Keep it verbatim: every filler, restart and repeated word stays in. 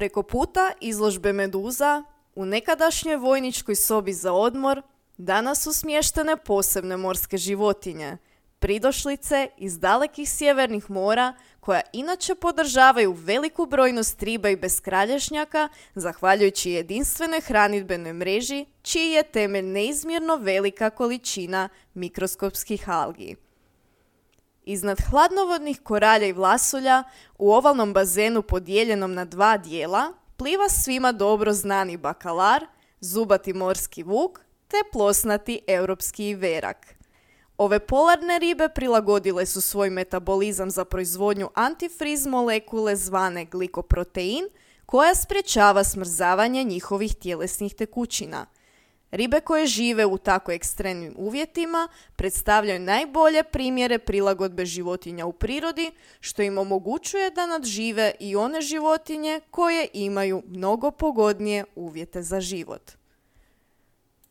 Preko puta izložbe meduza, u nekadašnjoj vojničkoj sobi za odmor, danas su smještene posebne morske životinje, pridošlice iz dalekih sjevernih mora, koja inače podržavaju veliku brojnost riba i beskralješnjaka, zahvaljujući jedinstvenoj hranidbenoj mreži, čiji je temelj neizmjerno velika količina mikroskopskih algi. Iznad hladnovodnih koralja i vlasulja, u ovalnom bazenu podijeljenom na dva dijela, pliva svima dobro znani bakalar, zubati morski vuk te plosnati europski verak. Ove polarne ribe prilagodile su svoj metabolizam za proizvodnju antifriz molekule zvane glikoprotein, koja sprječava smrzavanje njihovih tjelesnih tekućina. Ribe koje žive u tako ekstremnim uvjetima predstavljaju najbolje primjere prilagodbe životinja u prirodi, što im omogućuje da nadžive i one životinje koje imaju mnogo pogodnije uvjete za život.